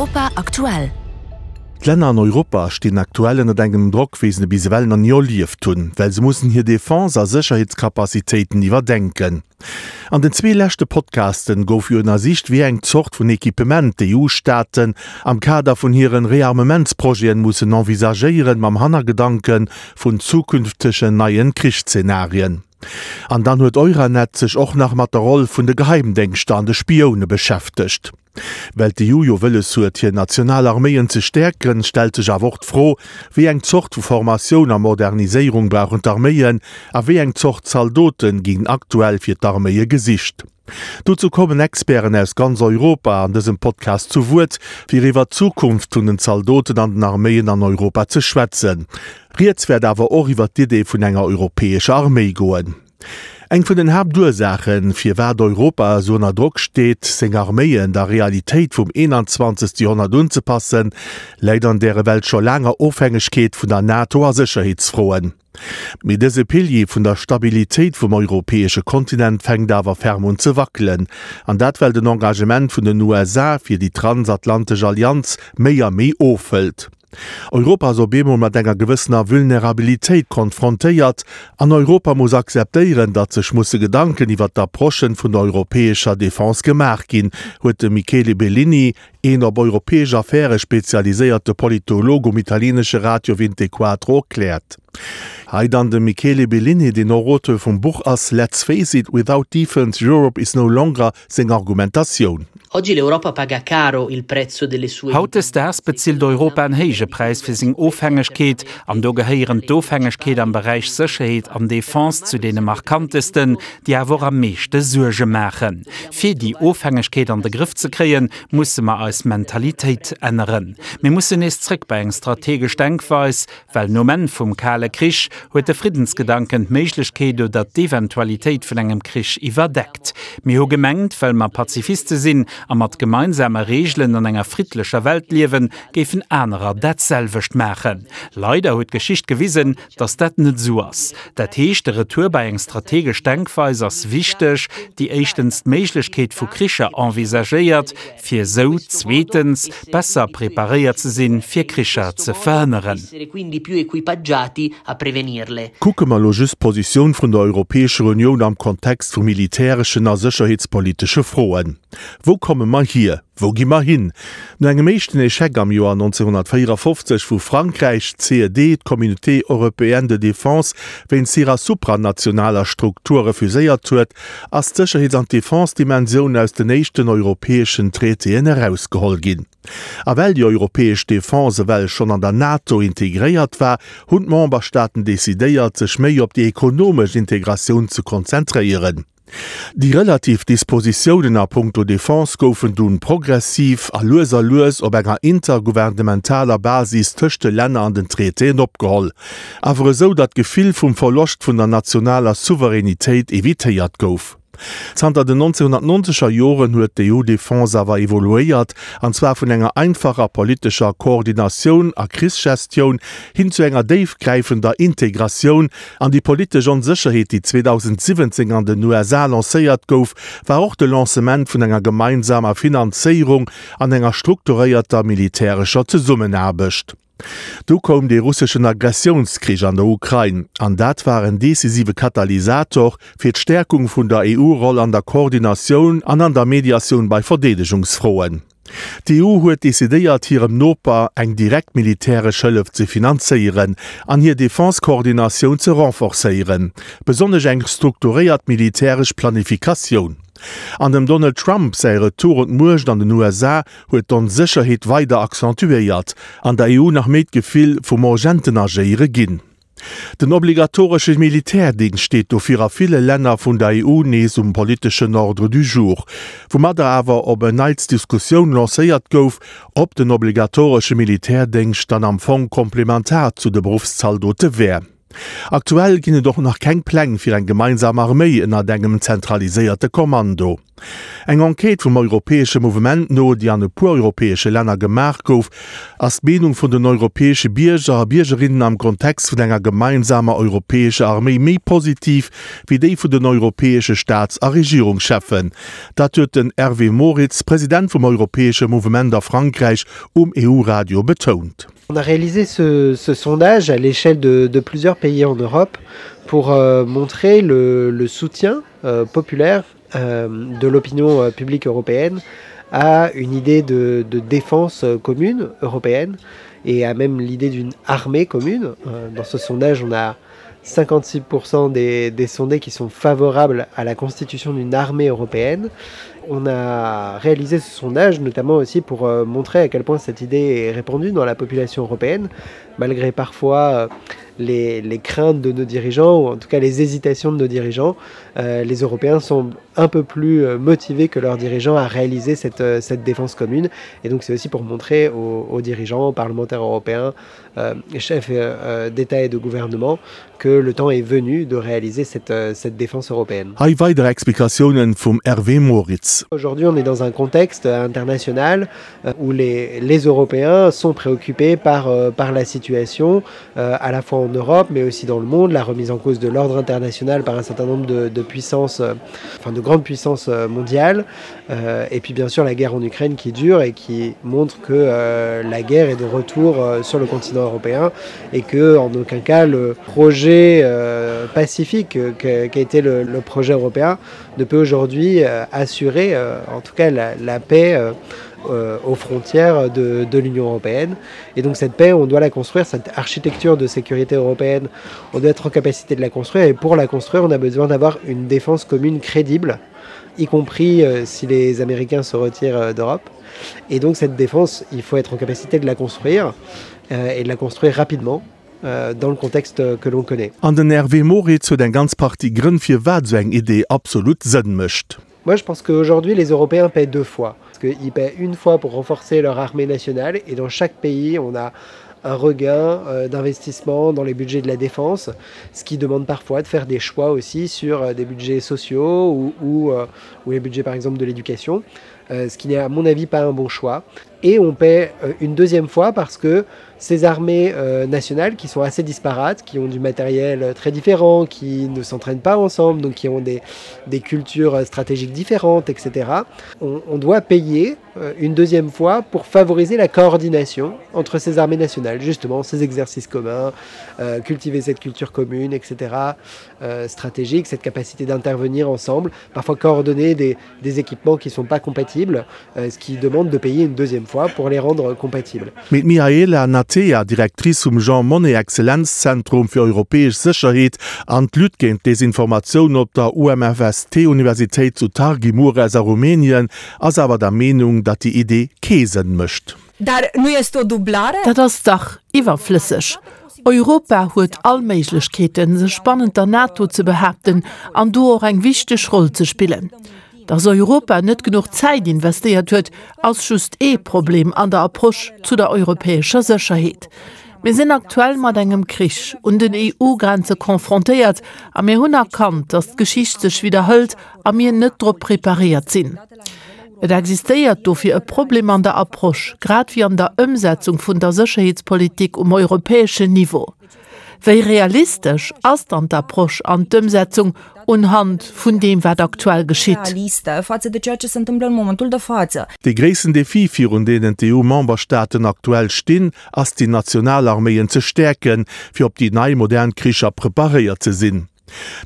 Europa aktuell. D'Länner an Europa stinn aktuell ënnert engem Drock, wéi se e bis ewell nach ni erlieft hunn, well se mussen hir Defense a Sécherheetscapacitéiten iwwerdenken. An den zwee leschte Podcasten gouf jo ënnersicht, wéi eng Zort vun Equipement d'EU-Staaten am Kader vun hiren Rearmementsprojeten mussen envisagéieren, mam Hannergedanke vun zukünftegen neien Krichszenarien. An dann huet Euranet sech och nach mat der Roll vun de Geheimdéngschter an de Spioune beschäftegt. Well d'EU jo wëlles huet, hir national Arméien ze stäerken, stellt sech awer och d'Fro, Wéi eng Zort vu Formatioun a Moderniséierung brauchen d'Arméien a wéi eng Zort Zaldote ginn aktuell fir d'Arméie gesicht? Dozou kommen Experten aus ganz Europa an dësem Podcast zu Wuert, fir iwwer d'Zukunft vun den Zaldoten an den Arméien an Europa ze schwätzen. Rieds wäert awer och iwwer d'Idee vun enger europäescher Arméi goen. Eng vun den Haaptursaachen, firwat Europa esou ënner Drock steet, seng Arméien der Realitéit vum 21. Joerhonnert unzepassen, läit an der ewell scho laanger Ofhängegkeet vun der NATO a Sécherheetsfroen. Mee dëse Pilier vun der Stabilitéit vum europäesche Kontinent fänkt awer ferm un ze wackelen, an dat well den Engagement vun den USA fir déi transatlantesch Allianz méi a méi ofhëlt. Europa ass op eemol mat enger gewëssener Vulnerabilitéit konfrontéiert, an Europa muss akzeptéieren, datt sech musse Gedanken iwwer d'Approchen vun der europäescher Defense gemaach ginn, huet de Michele Bellini, een op europäesch Affäre spezialiséierte Politolog um italienesche Radio Vintequatro erkläert. Hei dann de Michele Bellini, deen och Auteur vum Buch ass Let's face it, without defence Europe is no longer, seng Argumentatioun. Oggi l'Europa paga caro il prezzo delle sue Hautdesdaags bezilt Europa en héije Präis fir seng Ofhängegkeet, an do gehéieren d'Ofhängegkeet am Beräich Sécherheet an Defense zu deene markantesten, déi awer och am meeschte Suerge maachen. Fir déi Ofhängegkeet an de Grëff ze kréien, musse mer eis Mentalitéit änneren. Mir mussen nees zréck bei eng strategesch Denkweis, well nom Enn vum Kale Krich huet de Friddensgedanken d'Méiglechkeet oder d'Eventualitéit vun engem Krich iwwerdeckt. Mir hu gemengt, well mer Pazifiste sinn a mat gemeinsame Reegelen an enger friddlecher Welt liewen, géifen anerer dat selwecht maachen. Leider huet d'Geschicht gewisen, dass dat net esou ass. Dat heescht, de Retour bei eng strategesch Denkweis ass wichteg, déi éischtens d'Méiglechkeet vu Kricher envisagéiert, fir esou zweetens besser preparéiert ze sinn, fir Kricher ze verhënneren. Kucke mer elo just d'Positioun vun der Europäescher Unioun am Kontext vu militäreschen a sécherheetspolitesche Froen. Wou komme mer hier? Wou gi mer hin? No engem éischten Echec am Joer 1954, wou Frankräich d'CED, d'Communauté européenne de défense, wéinst hirer supranationaler Struktur refuséiert huet, ass d'Sécherheets an d'Defense-Dimensioun aus den éischten europäeschen Traitéen erausgeholl ginn. A well déi europäesch Defense ewell schonn an der NATO integréiert war, hunn d'Memberstaaten decidéiert, sech méi op déi ekonomesch Integratioun ze konzentréieren. Déi relativ Dispositiounen a punkto Defense goufen dunn progressiv a lues a lues op enger intergouvernementaler Basis tëscht de Länner an den Traitéen opgeholl, awer esou, datt d'Gefill vum Verloscht vun der nationaler Souveränitéit evitéiert gouf. Zanter den 1990er Joren huet d'EU-Defense awer evoluéiert, an zwar vun enger einfacher politescher Koordinatioun a Krichsgestioun hin zu enger déifgräifender Integratioun An déi politesch Onsécherheet, déi 2017 an den USA lancéiert gouf, war och de Lancement vun enger gemeinsamer Finanzéierung an enger strukturéierter militärescher Zesummenaarbecht. Du koum dee russeschen Agressiounskrich an der Ukrain, an dat war en decisive Katalysator fir d'Stäerkung vun der EU-Roll an der Koordinatioun an an der Mediatioun bei Verdeedegungsfroen. D'EU huet decidéiert, hirem Noper eng direkt militäresch Hëllef ze finanzéieren an hir Defense-Koordinatioun ze renforcéieren, besonnesch eng strukturéiert militäresch Planifikatioun. An dem Donald Trump säi Retour un d'Muecht an den USA huet d'Onsécherheet weider accentuéiert an der EU nach méi d'Gefill vum urgenten Agéiere ginn. Den obligatoresche Militärdingscht steet dofir a ville Länner vun der EU nees um politeschen Ordre du jour, woumadder awer op en Neits d'Diskussioun lancéiert gouf, ob den obligatoresche Militärdéngscht dann am Fong komplementar zu de Beruffszaldote wär. Aktuell ginn et och nach keng Pläng fir eng gemeinsam Arméi ënnert engem zentraliséierte Kommando. Eng Enquête vum Europäesche Mouvement no, déi an e puer europäesche Länner gemaach gouf, ass d'Meenung vun den europäesche Bierger a Biergerinnen am Kontext vun enger gemeinsamer europäescher Arméi méi positiv wéi déi vun den europäesche Staats a Regierungscheffen. Dat huet den Hervé Moritz, President vum Europäesche Mouvement a Frankräich, um EU-Radio betount. On a réalisé ce, ce sondage à l'échelle de, de plusieurs pays en Europe pour euh, montrer le, le soutien euh, populaire euh, de l'opinion euh, publique européenne à une idée de, de défense euh, commune européenne et à même l'idée d'une armée commune. Euh, dans ce sondage, on a 56% des, des sondés qui sont favorables à la constitution d'une armée européenne. On a réalisé ce sondage notamment aussi pour euh, montrer à quel point cette idée est répandue dans la population européenne, malgré parfois euh, les, les craintes de nos dirigeants ou en tout cas les hésitations de nos dirigeants. Euh, les Européens sont un peu plus euh, motivés que leurs dirigeants à réaliser cette, euh, cette défense commune. Et donc c'est aussi pour montrer aux, aux dirigeants, aux parlementaires européens, euh, chefs euh, d'État et de gouvernement que le temps est venu de réaliser cette, euh, cette défense européenne. Hei weider Explikatiounen vum Hervé Moritz. Aujourd'hui, on est dans un contexte international euh, où les, les Européens sont préoccupés par, euh, par la situation, euh, à la fois en Europe, mais aussi dans le monde, la remise en cause de l'ordre international par un certain nombre de, de puissances, euh, enfin de grandes puissances euh, mondiales, euh, et puis bien sûr la guerre en Ukraine qui dure et qui montre que euh, la guerre est de retour euh, sur le continent européen et que en aucun cas le projet euh, pacifique euh, qu'a été le, le projet européen ne peut aujourd'hui euh, assurer euh, en tout cas la, la paix euh, euh, aux frontières de, de l'Union européenne. Et donc cette paix, on doit la construire, cette architecture de sécurité européenne, on doit être en capacité de la construire et pour la construire, on a besoin d'avoir une défense commune crédible, y compris euh, si les Américains se retirent euh, d'Europe. Et donc cette défense, il faut être en capacité de la construire euh, et de la construire rapidement euh, dans le contexte que l'on connaît. An den Hervé Moritz huet eng ganz Partie Grënn firwat esou eng Idee absolut Sënn mécht. Moi je pense qu'aujourd'hui les Européens paient deux fois. Parce qu'ils paient une fois pour renforcer leur armée nationale et dans chaque pays on a un regain euh, d'investissement dans les budgets de la défense, ce qui demande parfois de faire des choix aussi sur euh, des budgets sociaux ou, ou, euh, ou les budgets par exemple de l'éducation, euh, ce qui n'est à mon avis pas un bon choix. Et on paie euh, une deuxième fois parce que ces armées euh, nationales qui sont assez disparates, qui ont du matériel euh, très différent, qui ne s'entraînent pas ensemble, donc qui ont des, des cultures euh, stratégiques différentes, etc. On, on doit payer euh, une deuxième fois pour favoriser la coordination entre ces armées nationales, justement ces exercices communs, euh, cultiver cette culture commune, etc. Euh, stratégique, cette capacité d'intervenir ensemble, parfois coordonner des, des équipements qui ne sont pas compatibles, euh, ce qui demande de payer une deuxième fois pour les rendre compatibles. Mee d'Mihaela Natea, Directrice vum Jean Monnet Exzellenzzentrum fir europäesch Sécherheet an d'Lutte géint d'Desinformatioun op der UMFST-Universitéit zu Targi Mures a Rumänien, ass awer der Meenung, datt déi Idee kee Sënn mécht. Dat ass dach iwwerflësseg. Europa huet all Méiglechkeeten, sech bannent der NATO ze behaapten an do och eng wichteg Roll ze spillen. Datt Europa net genuch Zäit investéiert huet, ass just ee Problem an der Approche zu der europäescher Sécherheet. Mir sinn aktuell mat engem Krich un den EU-Grenze confrontéiert a mir hunn erkannt, datt d'Geschicht sech widderhëlt a mir net drop preparéiert sinn. Et existéiert dofir e Problem an der Approche, grad wéi an der Ëmsetzung vun der Sécherheetspolitik um europäeschen Niveau. Wéi realistesch ass dann d'Approche an d'Ëmsetzung unhand vun deem, wat aktuell geschitt? Dee gréissten Defi, virun deenen d'EU-Memberstaaten aktuell stinn, ass déi national Arméien ze stäerken, fir op déi nei modern Kricher preparéiert ze sinn.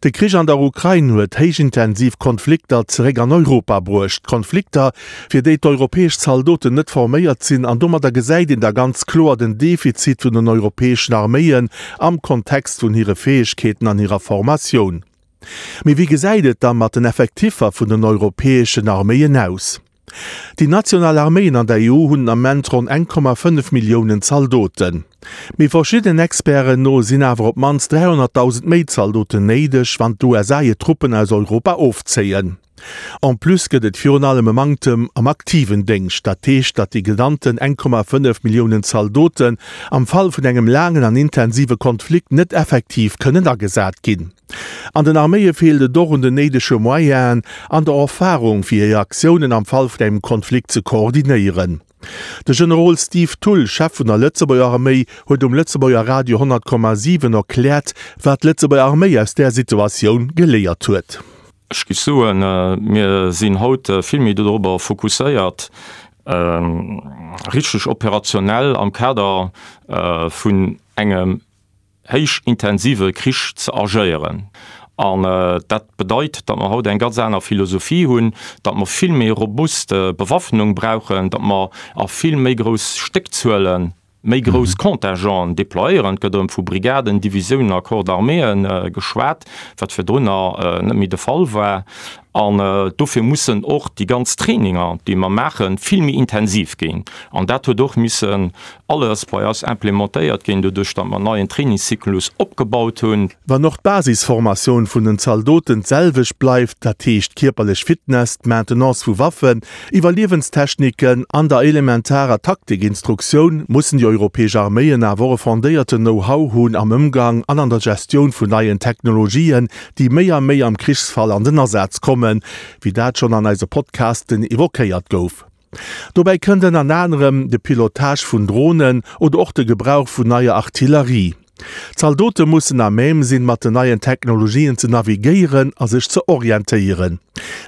De Krich an der Ukrain huet héichintensiv Konflikter zeréck an Europa bruecht. Konflikter, fir déi d'europäesch Zaldoten net forméiert sinn. An domadder gesäit een da ganz kloer den Defizit vun den europäeschen Arméien am Kontext vun hire Fäegkeeten an hirer Formatioun. Mee wéi gesäit et da mat den Effektiffer vun den europäeschen Arméien aus? Déi national Arméien an der EU hunn den Ament ronn 1,5 Milliounen Zaldoten. Mee verschiddenen Experten no sinn awer op d'mannst 300.000 méi Zaldoten néideg, wann d'USA hir Truppen aus Europa ofzéien. En plus gëtt et virun allem e Manktem am aktiven Déngscht, dat heescht, datt déi genannten 1,5 Milliounen Zaldoten am Fall vun engem laangen an intensive Konflikt net effektiv kënnen agesat ginn. An den Arméie feelt et och un den néidege Moyenen an der Erfarung, fir hir Aktiounen am Fall vun engem Konflikt ze koordinéieren. De Generol Steve Thull, Chef vun der Lëtzebuerger Arméi, huet um Lëtzebuerger Radio 100,7 erkläert, wat d'Lëtzebuerger Arméi aus där Situatioun geléiert huet. Ech géif soen, mir sinn haut vill méi dorobber fokusséiert, richteg operationell am Kader vun engem héich intensive Krich ze agéieren. An dat bedeit, datt mer haut eng ganz aner Philosophie hunn, datt mer vill méi robust Bewaffnung brauchen, datt mer a vill méi grouss Stéckzuele méi grouss Contingenten déployéieren. Et gëtt erëm vu Brigaden, Divisiounen a Corps d'arméeë geschwat, wat virdrunner net méi de Fall war. An dofir mussen och déi ganz Traininger, déi mer maachen, vill méi intensiv ginn. An dat huet och missen alles bei eis implementéiert ginn, doduerch datt mer en neien Trainingszyklus opgebaut hunn. Wann och d'Basisformatioun vun den Zaldoten d'selwecht bleift, dat heescht kierperlech Fitness, d'Maintenance vu Waffen, Iwwerliewenstechniken an der elementarer Taktikinstruktioun, mussen déi europäesch Arméien awer och e fondéierten Know-how hunn am Ëmgang an an der Gestioun vun neien Technologien, déi méi a méi am Krichsfall an den Asaz kommen, wéi dat schonn an eise Podcasten evoquéiert gouf. Dobäi kënnt ënner anerem de Pilotage vun Dronen oder och de Gebrauch vun neier Artillerie. D'Zaldote mussen à même sinn, mat den neien Technologien ze navigéieren a sech ze orientéieren.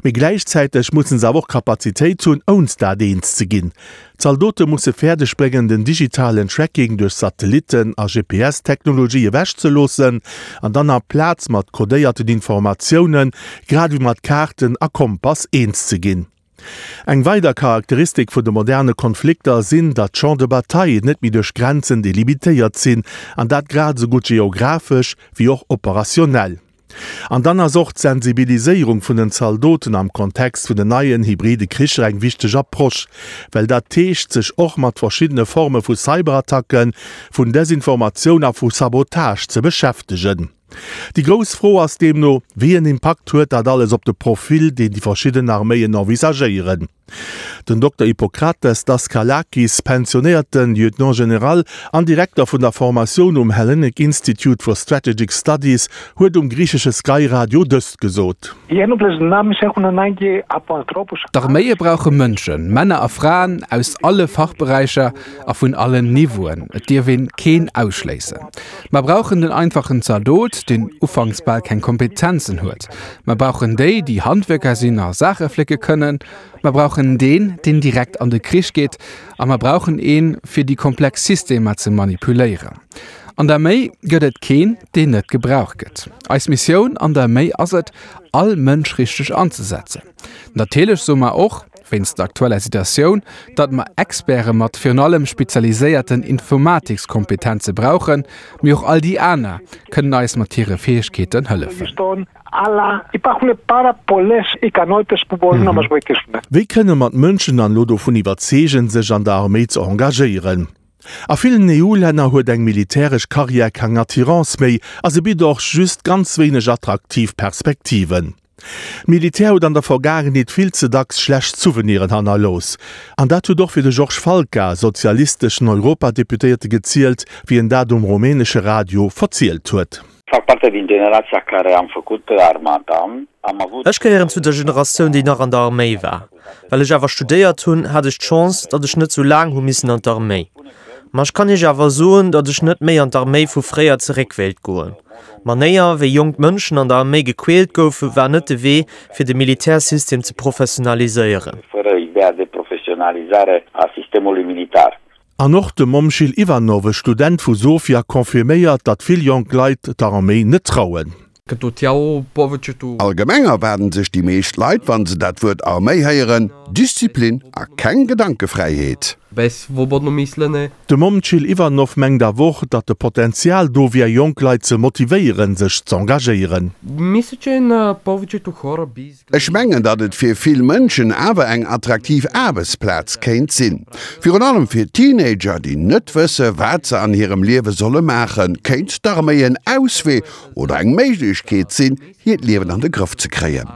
Mee gläichzäiteg mussen se awer och Kapazitéit hunn, ounst dat eens ze ginn. D'Zaldote musse fäerdeg bréngen, den digitalen Tracking duerch Satellitten a GPS-Technologie ewechzeloossen an dann amplaz mat kodéierten Informatiounen, grad ewéi mat Kaarten a Kompass eens ze ginn. Eng weider Charakteristik vun de moderne Konflikter sinn, datt d'Champs de bataille net méi duerch Grenzen delimitéiert sinn, an dat grad esou gutt geographesch wéi och operationell. An dann ass och d'Sensibiliséierung vun den Zaldoten am Kontext vun den neien hybride Kricher eng wichteg Approche, well dat heescht, sech och mat verschiddene Forme vu Cyberattacken, vun Desinformatioun a vu Sabotage ze beschäftegen. Déi grouss Fro ass deemno, Wéi en Impakt huet dat alles op de Profil, deen déi verschidden Arméien envisagéieren? Den Dokter Ippokrates Daskalakis, pensionéierte Lieutenant General an Direkter vun der Formatioun um Hellenic Institute for Strategic Studies, huet um griichesche Sky Radio dëst gesot. D'Arméie brauche Mënschen, Männer a Fraen aus alle Fachberäicher a vun allen Niveauen. Et dierf een keen ausschléissen. Mer brauchen den einfachen Zaldot, deen ufanks bal keng Kompetenzen huet. Mer brauchen déi, déi Handwierker sinn a Saache flécke kënnen. Mer brauchen deen, deen direkt an de Krich geet. A mer brauchen een, fir déi komplex Systemer ze manipuléieren. An der Arméi gëtt et keen, deen net gebraucht gëtt. Eis Missioun an der Arméi ass et, all Mënsch richteg anzesetzen. Natierlech soe mer och, wéinst der aktueller Situatioun, datt mer Experte mat virun allem spezialiséierten Informatikskompetenze brauchen, mee och all déi aner kënnen eis mat hire Fäegkeeten hëllefen. Wéi kënne mer d'Mënschen dann elo dovun iwwerzeegen, sech an der Arméi ze engagéieren? A villen EU-Länner huet eng militäresch Karriär keng Attirance méi a se bitt och just ganz wéineg attraktiv Perspektiven. D'Militär huet an der Vergaangenheet vill ze dacks schlecht Souveniren hannerlooss. An dat huet och fir de Georges Falca, sozialisteschen Europadeputéierte gezielt, wéi en dat um rumänesche Radio verzielt huet. Fac parte din generația care am făcut armata, am avut. Ech gehéieren zu der Generatioun, déi nach an der Arméi war. Well ech awer studéiert hunn, hat ech d'Chance, datt ech net sou laang hu missen an d'Arméi. Ma ech kann Iech awer soen, datt ech net méi an d'Arméi vu fréier zeréck wéilt goen. D'Manéier, wéi jonk Mënschen an der Arméi gequält goufen, war net de Wee, fir de Militärsystem ze professionaliséieren. An och de Momchil Ivanov, e Student vu Sofia, confirméiert, datt vill jonk Leit der Arméi net trauen. Allgemeng erwaarden sech déi meescht Leit, wann se dat Wuert Arméi héieren, Disziplin a keng Gedankefräiheet. De Momchil Ivanov mengt awer och, datt de Potenzial do wier, jonk Leit ze motivéieren, sech z'engagéieren. Ech mengen, datt et fir vill Mënschen awer eng attraktiv Aarbechtsplaz kéint sinn. Virun allem fir Teenager, déi net wësse wat se an hirem Liewe solle maachen, kéint d'Arméi en Auswee oder eng Méiglechkeet sinn, hiert Liewen an de Grëff ze kréien.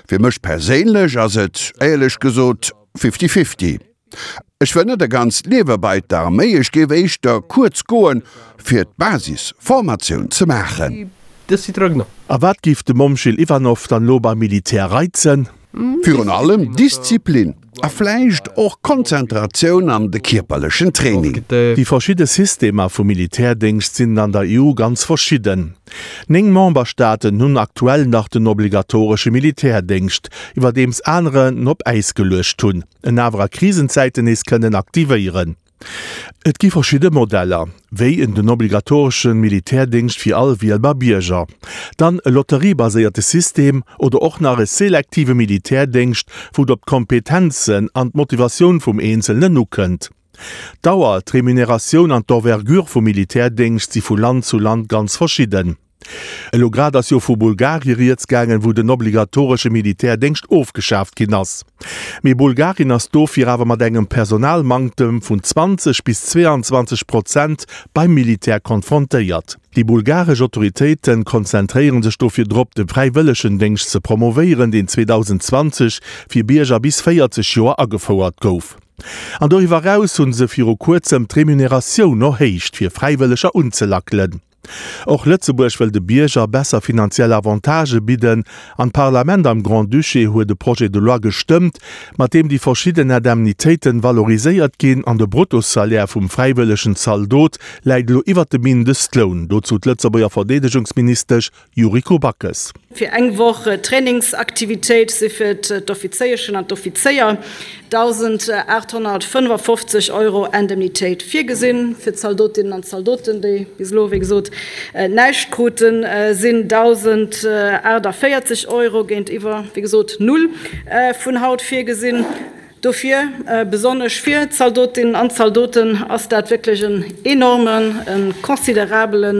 Fir mech perséinlech ass et, éierlech gesot, fifty-fifty. Ech wëll net e ganzt Liewe bei d'Arméi, ech géif éischter kuerz goen, fir d'Basisformatioun ze maachen. A wat géif de Momchil Ivanov dann elo beim Militär reizen? Virun allem Disziplin a vläicht och Konzentratioun an de kierperlechen Training. Déi verschidde Systemer vum Militärdéngscht sinn an der EU ganz verschidden. 9 Memberstaaten hunn aktuell nach den obligatoresche Militärdéngscht, iwwerdeems anerer en op Äis geluecht hunn, en awer a Krisenzäiten nees kënnen aktivéieren. Et gi verschidde Modeller, wéi en den obligatoresche Militärdéngscht fir all wielbar Bierger, dann e lotteriebaséierte System oder och nach e selektive Militärdéngscht, wou et op d'Kompetenzen an d'Motivatioun vum Eenzelnen ukënnt. D'Dauer, d'Remuneratioun an d'Envergure vum Militärdéngscht si vu Land zu Land ganz verschidden. Elo grad ass jo vu Bulgarie rieds gaangen, wou den obligatoresche Militärdéngscht ofgeschaaft ginn ass. Mee Bulgarien ass dofir awer mat engem Personalmanktem vun 20 bis 22 Prozent beim Militär konfrontéiert. Déi bulgaresch Autoritéite konzentréiere sech dofir drop, de Fräiwëllegendéngscht ze promovéieren, deen 2020 fir Bierger bis 40 Joer agefouert gouf. An doriwwer eraus hu se viru kuerzem d'Remuneratioun erhéicht, fir Fräiwëlleger unzelackelen. Och Lëtzebuerg wëll de Bierger besser finanziell Avantagë bidden an d'Parlament am Grand-Duché huet e Projet de loi gestëmmt, mat deem déi verschidden Indemnitéiten valoriséiert ginn an de Bruttosalaire vum fräiwëllegen Zaldot läit elo iwwert dem Mindestloun. Dozou d'Lëtzebuerger Verdeedegungsministesch Yuriko Backes. Fir eng Woch Trainingsaktivitéit si fir d'Offizéieschen an d'Offizéier 1.855 Euro Indemnitéit virgesinn. Fir d'Zaldotinnen an d'Zaldoten, déi bis elo wéi gesot näischt kruten, sinn 1.048 Euro géintiwwer wéi gesot null vun haut virgesinn. Dofir, besonnesch fir d'Zaldotinnen an d'Zaldoten, ass dat wierklech en enormen, e considerabele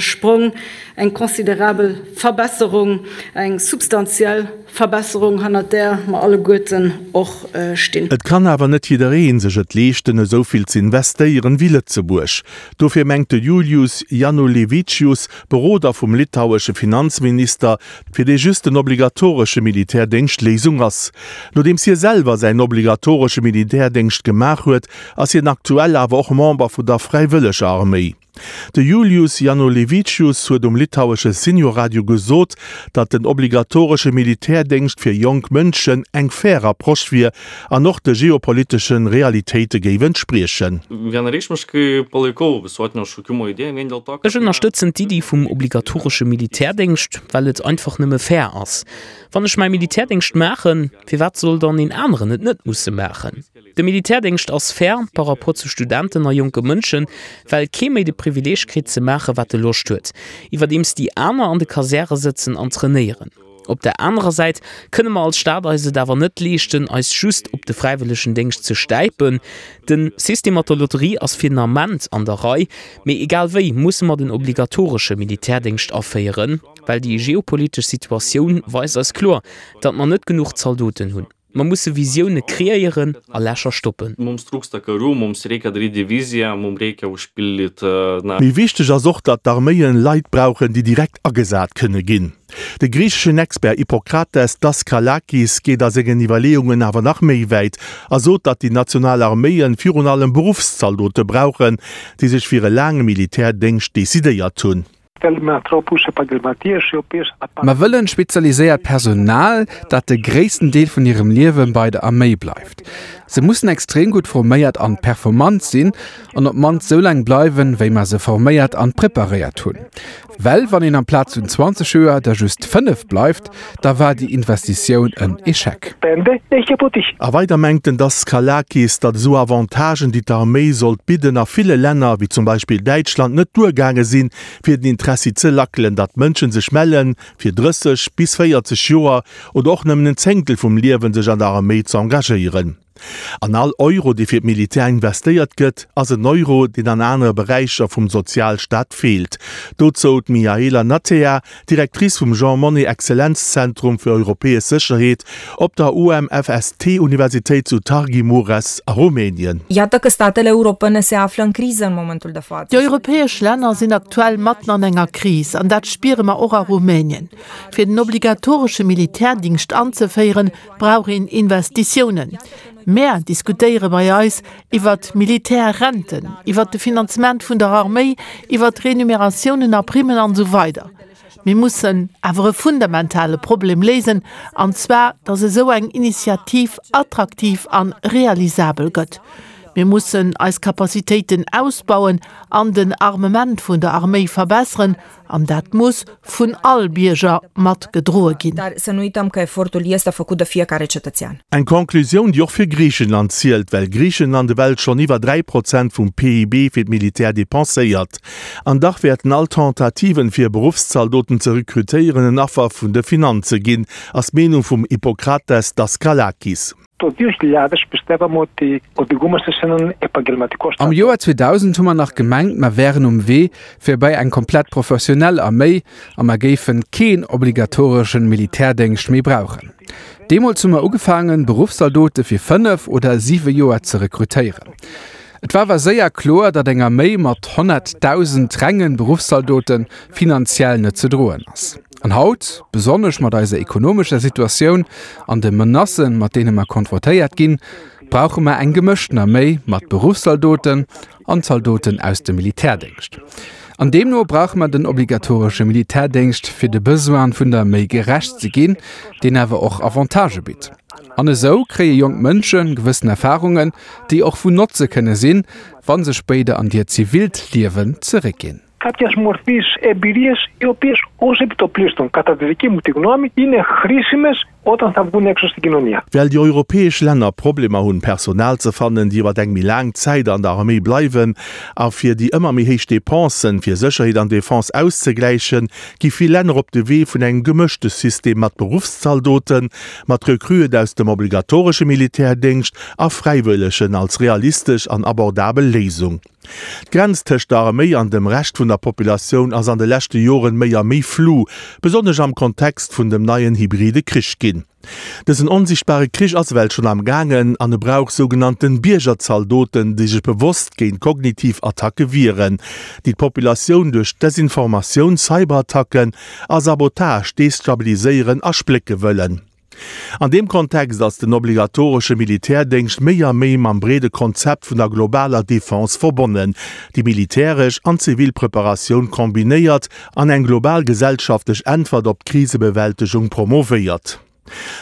Sprong, eng considerabel Verbesserung, eng substantiell Verbesserung, hannert där mer alleguerten och stinn. Et kann awer net jidderee sech et leeschten, esou vill ze investéieren wéi Lëtzebuerg. Dofir mengt de Julius Janulevičius, Beroder vum litauesche Finanzminister, fir dee just den obligatoresche Militärdéngscht d'Léisung ass. Nodeems hie selwer säin obligatoresche Militärdéngscht gemaach huet, ass hien aktuell awer och Member vun der Fräiwëlleger Arméi. De Julius Janulevicius huet um litauesche Seniorradio gesot, datt den obligatoresche Militärdéngscht fir jonk Mënschen eng fair Approche wier an och de geopolitesche Realitéite géif entspriechen. Ech ënnerstëtzen d'Iddi vum obligatoresche Militärdéngscht, well et einfach nëmme fair ass. Wann ech mäi Militärdéngscht maachen, firwat soll dann een aneren et net musse maachen? De Militärdéngscht ass fair par rapport zu Studenten a jonke Mënschen, well kee méi de Privileeg kritt ze maache wat e Loscht huet, iwwerdeems déi aner an de Kasäre sëtzen an trainéieren. Op der anerer Säit kënne mer als Staat eis et awer net leeschten, eis just op de fräiwëllegen Déngscht ze stäipen. De System mat der Lotterie ass fir den Ament an der Rei, mee egal wéi musse mer den obligatoresche Militärdéngscht aféieren, well déi geopolitesch Situatioun weist eis kloer, datt mer net genuch Zaldoten hunn. Mer musse Visioune kreéieren a Lächer stoppen. Méi wichteg ass och, datt d'Arméien Leit brauchen, déi direkt agesat kënne ginn. De griicheschen Expert Ippokrates Daskalakis geet a sengen Iwwerleeungen awer nach méi wäit a sot, datt déi national Arméien virun allem Beruffszaldote brauchen, déi sech fir e laange Militärdéngscht decidéiert hunn. Mer wëllen spezialiséiert Personal, dat de gréissten Deel vun hirem Liewe bei der Arméi bleift. Se mussen extrem gutt forméiert an performant sinn an op d'mannst sou laang bleiwen, wéi mer se forméiert an preparéiert hunn. Well wann een amplaz vun 20 Joer der just 5 bleift, da war déi Investitioun en Echec. A weider mengt den Daskalakis, datt esou Avantagen, déi d'Arméi sollt bidden, a ville Länner, wéi zum Beispill Däitschland, net duergaange sinn, fir den Interessi ze lackelen, datt Mënsche sech mellen, fir 30 bis 40 Joer oder och nëmmen en Zéngtel vum Liewen sech an der Arméi ze engagéieren. An all Euro, dee fir d'Militär investéiert gëtt, ass en Euro, deen an anere Beräicher vum Sozialstaat feelt. Dozou d'Mihaela Natea, Directrice vum Jean Monnet Exzellenzzentrum fir europäesch Sécherheet op der UMFST-Universitéit zu Târgu Mureș a Rumänien. Iată că statele europene se află în criză în momentul de față. Déi europäesch Länner sinn aktuell matten an enger Kris, an dat spiere mer och a Rumänien. Fir den obligatoresche Militärdingscht anzeféieren, brauch een Investitiounen. Mär diskutéiere bei eis iwwert Militärrenten, iwwert de Finanzement vun der Arméi, iwwert Renumeratiounen a Primmen an esou weider. Mir mussen awer e fundamentale Problem léisen, an zwar, datt esou eng Initiativ attraktiv a realisabel gëtt. Mir mussen eis Capacitéiten ausbauen an den Armement vun der Arméi verbesseren, An dat muss vun all Bierger mat gedroe ginn. Dar să nu uităm că efortul este făcut de fiecare cetățean. Eng Conclusioun, déi och fir Griichenland zielt, well Griichenland ewell schonn iwwer 3 Prozent vum PIB fir d'Militär depenséiert. An dach wäerten all Tentativen, fir Beruffszaldoten ze rekrutéieren, en Affer vun de Finanze ginn, ass d'Meenung vum Hippokrates Daskalakis. Το 2000 πιστεύαμε ότι οδηγούμαστε σε έναν επαγγελματικό Am Joer 2000 hu mer nach gemengt, mer wären um Wee fir bei eng komplett professionell Arméi a mer géifen keen obligatoreschen Militärdéngscht méi brauchen. Deemools hu mer ugefaangen, Beruffszaldote fir 5 oder 7 Joer ze rekrutéieren. Et war awer séier kloer, datt eng Arméi mat 100.000 rengen Beruffszaldote finanziell net ze droen ass. An haut, besonnesch mat eiser ekonomescher Situatioun an de Menacen, mat deene mer konfrontéiert ginn, brauche mer eng gemëschten Arméi mat Beruffszaldoten an Zaldoten aus dem Militärdéngscht. An deemno brauche mer den obligatoresche Militärdéngscht, fir de Besoine vun der Arméi gerecht ze ginn, deen awer och Avantagë bitt. An esou kréie jonk Mënsche gewëssen Erfarungen, déi och vun Notze kënne sinn, wa se spéider an hiert zivilt Liewen zeréckginn. Κάποιας μορφής εμπειρίες οι οποίες ως επιτοπλίστων κατά τη δική μου τη γνώμη είναι χρήσιμες όταν θα βγουν έξω στην κοινωνία. Well déi europäesch Länner Problemer hunn, Personal ze fannen, déi iwwer eng méi laang Zäit an der Arméi bleiwen, a fir déi ëmmer méi héich Depensen fir Sécherheet an Defense auszegläichen, gi vill Länner op de Wee vun engem gemëschte System mat Beruffszaldoten, mat Recruen aus dem obligatoresche Militärdéngscht a Fräiwëllegen als realistesch an abordabel Léisung. D'Grenz tëscht der Arméi an dem Rescht vun der Populatioun ass an de leschte Joren méi a méi flu, besonnesch am Kontext vun dem neien hybride Krich ginn. Dësen onsichtbare Krich ass ewell schonn am gaangen an e brauch sougenannten Biergerzaldoten, déi sech bewosst géint kognitiv Attacke wieren, déi d'Populatioun duerch Desinformatioun, Cyberattacken a Sabotage destabiliséieren a splécke wëllen. An deem Kontext ass den obligatoresche Militärdéngscht méi a méi mam breede Konzept vun der globaler Defense verbonnen, déi militäresch an zivil Preparatioun kombinéiert an eng global gesellschaftlech Äntwert op d'Krisebewältegung promovéiert.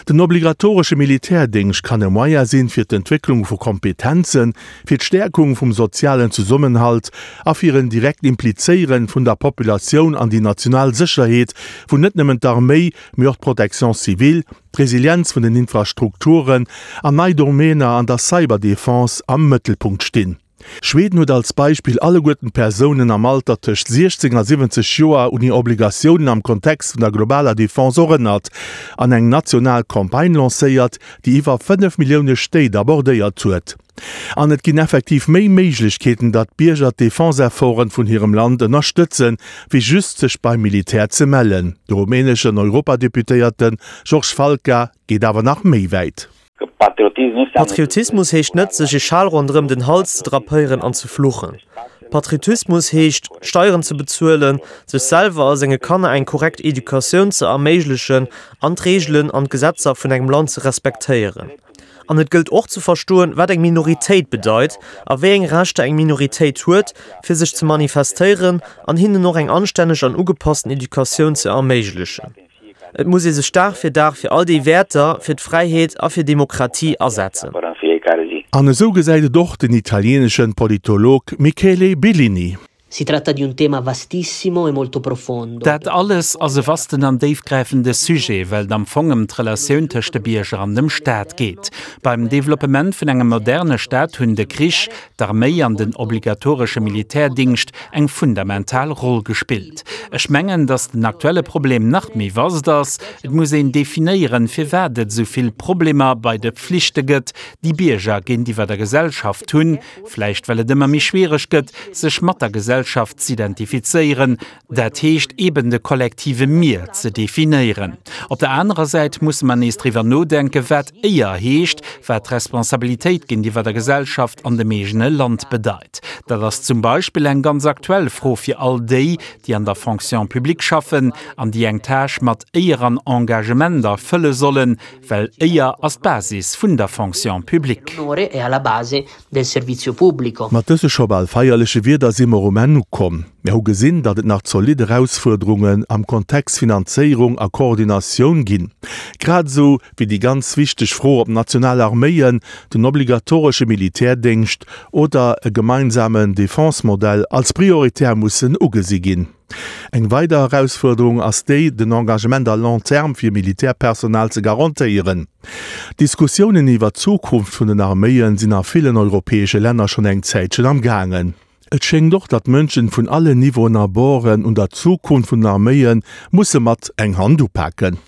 Den obligatoresche Militärdéngscht kann e Moyen sinn, fir d'Entwécklung vu Kompetenzen, fir d'Stäerkung vum sozialen Zesummenhalt a fir en direkt Implizéieren vun der Populatioun an déi national Sécherheet, wou net nëmmen d'Arméi, mee och d'Protection civile, d'Resilienz vun den Infrastrukturen an nei Domäner an der Cyberdefense am Mëttelpunkt stinn. Schweden huet als Beispill alleguerten d'Persounen am Alter tëscht 16 a 70 Joer un hir Obligatiounen am Kontext vun der globaler Defense erënnert an eng national Campagne lancéiert, déi iwwer 5 Millioune Stéit abordéiert huet. An et ginn effektiv méi Méiglechkeeten, datt d'Bierger d'Defense-Efforten vun hirem Land ënnerstëtzen, wéi just sech beim Militär ze mellen. De rumäneschen Europadeputéierte Georges Falca geet awer nach méi wäit. Patriotismus heescht net, sech e Schal ronderëm den Hals ze drapéieren an ze fluchen. Patriotismus heescht, Steieren ze bezuelen, sech selwer a senge Kanner eng korrekt Educatioun ze erméiglechen an d'Reegelen an d'Gesetzer vun engem Land ze respektéieren. An et gëllt och ze verstoen, wat eng Minoritéit bedeit a wéi eng Rechter eng Minoritéit huet, fir sech ze manifestéieren an hinnen och eng anstänneg an ugepassten Educatioun ze erméiglechen. Et muss ee sech Dag fir Dag fir all déi Wäerter, fir d'Fräiheet a fir Demokratie asetzen. An esou gesäit et och den italieneschen Politolog Michele Bellini. Si tratta di un tema vastissimo e molto profondo. Dat alles ass e vasten an déifgräifende Sujet, well et am Fong ëm d'Relatioun tëscht de Bierger an dem Staat geet. Beim Developpement vun engem moderne Staat hunn de Krich, d'Arméi an den obligatoresche Militärdingscht eng fundamental Roll gespillt. Ech mengen, datt den aktuelle Problem nach méi vast ass. Et muss een definéieren, firwat et esou vill Problemer bei de Pflichte gëtt, déi Bierger géintiwwer der Gesellschaft hunn. Vläicht well et ëmmer méi schwiereg gëtt, sech mat der Gesellschaft z'identifizéieren, dat heescht eben de kollektive Mir ze definéieren. Op der anerer Säit musse mer nees driwwer nodenken, wat Éier heescht, wat Responsabilitéit géintiwwer der Gesellschaft an dem eegene Land bedeit. Dat ass zum Beispill eng ganz aktuell Fro fir all déi, déi an der Fonction publique schaffen an déi eng Tâche mat Éier an Engagement erfëlle sollen, Well Éier ass d'Basis vun der Fonction publique. Mat dëse scho bal feierleche Wierder si mer um Enn ukomm. Mir hu gesinn, datt et nach zolidd Erausfuerderungen am Kontext Finanzéierung a Koordinatioun ginn, grad esou wéi déi ganz wichteg Fro, ob national Arméien, den obligatoresche Militärdéngscht oder e gemeinsamen Defense-Modell als prioritär mussen ugesi ginn. Eng weider Erausfuerderung ass déi, den Engagement à long terme fir Militärpersonal ze garantéieren. D'Diskussiounen iwwer d'Zukunft vun den Arméien sinn a villen europäesche Länner schonn eng Zäitchen am gaangen. Et schéngt och, datt Mënschen vun allen Niveauen a Borden un der Zukunft vun den Arméie musse mat eng Hand upaken.